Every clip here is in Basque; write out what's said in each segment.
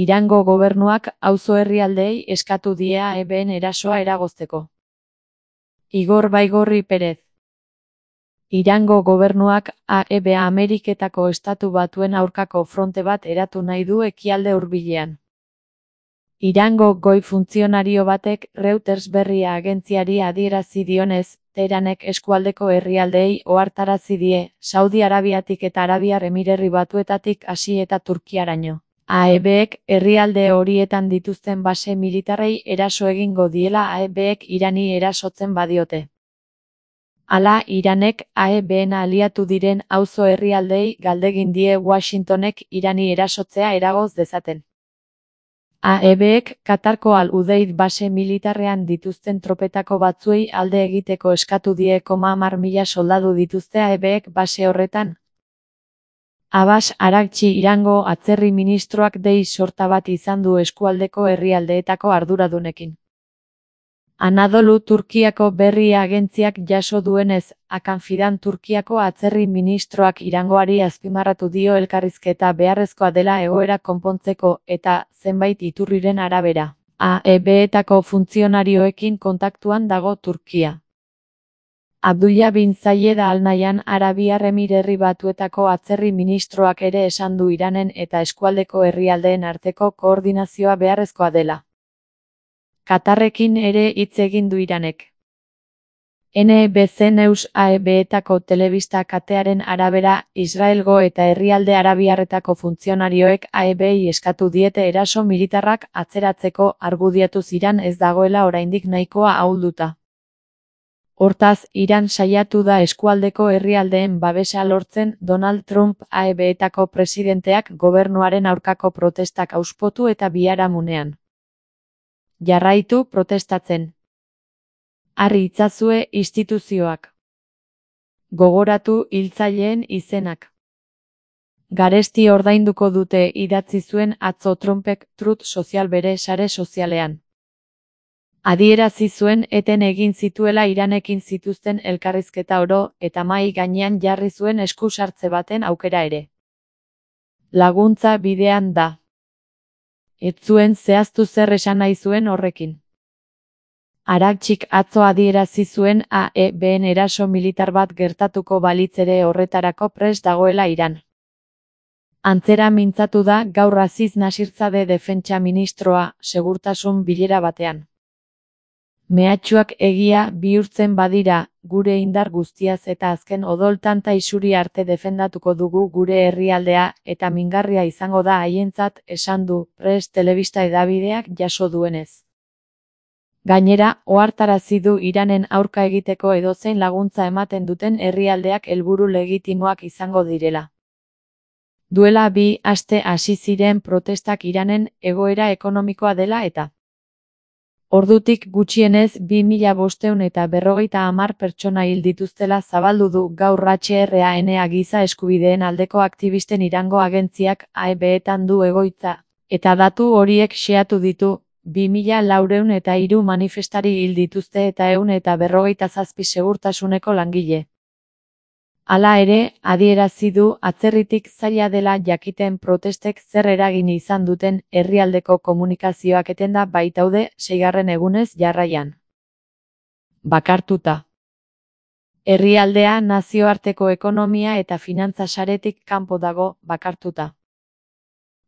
Irango gobernuak auzo herrialdeei eskatu die AEBen erasoa eragozteko. Igor Baigorri Perez. Irango gobernuak AEB Ameriketako Estatu Batuen aurkako fronte bat eratu nahi du ekialde hurbilean. Irango goi funtzionario batek Reuters berria agentziari adierazi dionez, Teheranek eskualdeko herrialdeei ohartarazi die, Saudi Arabiatik eta Arabiar Emirerri Batuetatik hasi eta Turkiaraino. AEBek herrialde horietan dituzten base militarrei eraso egingo diela AEBek Irani erasotzen badiote. Hala, Iranek AEBen aliatu diren auzo herrialdeei galdegin die Washingtonek Irani erasotzea eragoz dezaten. AEBek Katarko Al-Udeid base militarrean dituzten tropetako batzuei alde egiteko eskatu die 10.000 soldadu dituzte AEBek base horretan. Abbas Araghchi Irango atzerri ministroak dei sorta bat izan du eskualdeko herrialdeetako arduradunekin. Anadolu Turkiako berri agentziak jaso duenez, Hakan Fidan Turkiako atzerri ministroak Irangoari azpimarratu dio elkarrizketa beharrezkoa dela egoera konpontzeko eta, zenbait iturriren arabera, AEBetako funtzionarioekin kontaktuan dago Turkia. Abdullah bin Zayed Al Nahyan Arabiar Emirerri Batuetako atzerri ministroak ere esan du Iranen eta eskualdeko herrialdeen arteko koordinazioa beharrezkoa dela. Katarrekin ere hitz egin du Iranek. NBC News AEBetako telebista katearen arabera, Israelgo eta herrialde arabiarretako funtzionarioek AEBei eskatu diete eraso militarrak atzeratzeko argudiatuz Iran ez dagoela oraindik nahikoa ahulduta. Hortaz, Iran saiatu da eskualdeko herrialdeen babesa lortzen Donald Trump AEBetako presidenteak gobernuaren aurkako protestak hauspotu eta biharamunean. Jarraitu protestatzen. Harri itzazue instituzioak. Gogoratu hiltzaileen izenak. Garesti ordainduko dute idatzi zuen atzo Trumpek Truth Social bere sare sozialean. Adierazi zuen eten egin zituela Iranekin zituzten elkarrizketa oro eta mahai gainean jarri zuen esku sartze baten aukera ere. Laguntza bidean da. Ez zuen zehaztu zer esan nahi zuen horrekin. Araghchik atzo adierazi zuen AEBen eraso militar bat gertatuko balitz ere horretarako prest dagoela Iran. Antzera mintzatu da gaur Aziz Nasirzadeh defentsa ministroa, segurtasun bilera batean. Mehatxuak egia bihurtzen badira, gure indar guztiaz eta azken odol tanta isuri arte defendatuko dugu gure herrialdea eta mingarria izango da haientzat, esan du, Press telebista hedabideak jaso duenez. Gainera, ohartarazi du Iranen aurka egiteko edozein laguntza ematen duten herrialdeak helburu legitimoak izango direla. Duela 2 aste hasi ziren protestak Iranen egoera ekonomikoa dela eta ordutik gutxienez 2550 pertsona hil dituztela zabaldu du gaur HRANA giza eskubideen aldeko aktivisten Irango agentziak AEBetan du egoitza, eta datu horiek xeatu ditu, 2403 manifestari hil dituzte eta 157 segurtasuneko langile. Hala ere, adierazi du atzerritik zaila dela jakiten protestek zer eragin izan duten herrialdeko komunikazioak etenda baitaude 6. egunez jarraian. Bakartuta. Herrialdea nazioarteko ekonomia eta finantza saretik kanpo dago, bakartuta.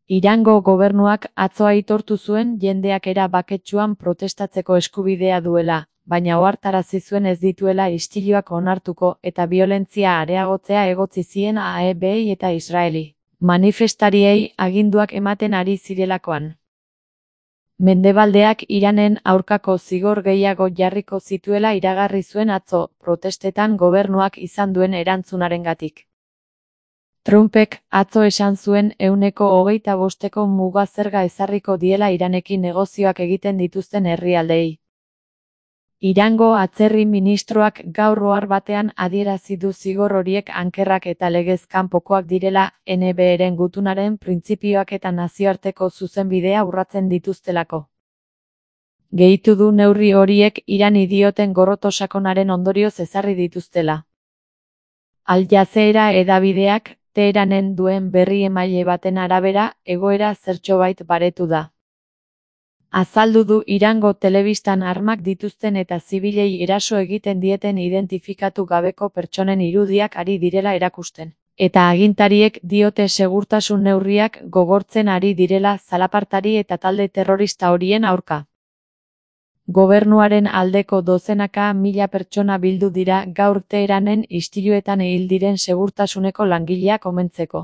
Irango gobernuak atzo aitortu zuen jendeak era baketsuan protestatzeko eskubidea duela, baina ohartarazi zuen ez dituela istiluak onartuko eta biolentzia areagotzea egotzi zien AEBei eta Israeli manifestariei aginduak ematen ari zirelakoan. Mendebaldeak Iranen aurkako zigor gehiago jarriko zituela iragarri zuen atzo, protestetan gobernuak izan duen erantzunarengatik. Trumpek atzo esan zuen 25% muga zerga ezarriko diela Iranekin negozioak egiten dituzten herrialdeei. Irango atzerri ministroak gaur ohar batean adierazi du zigor horiek ankerrak eta legez kanpokoak direla, NBeren gutunaren printzipioak eta nazioarteko zuzenbidea urratzen dituztelako. Gehitu du neurri horiek Irani dioten gorroto sakonaren ondorioz ezarri dituztela. Al Jazeera hedabideak, Teheranen duen berri emaile baten arabera, egoera zertxobait baretu da. Azaldu du Irango telebistan armak dituzten eta zibilei eraso egiten dieten identifikatu gabeko pertsonen irudiak ari direla erakusten. Eta agintariek diote segurtasun neurriak gogortzen ari direla zalapartari eta talde terrorista horien aurka. Gobernuaren aldeko dozenaka mila pertsona bildu dira gaur Teheranen istiluetan hil diren segurtasuneko langileak omentzeko.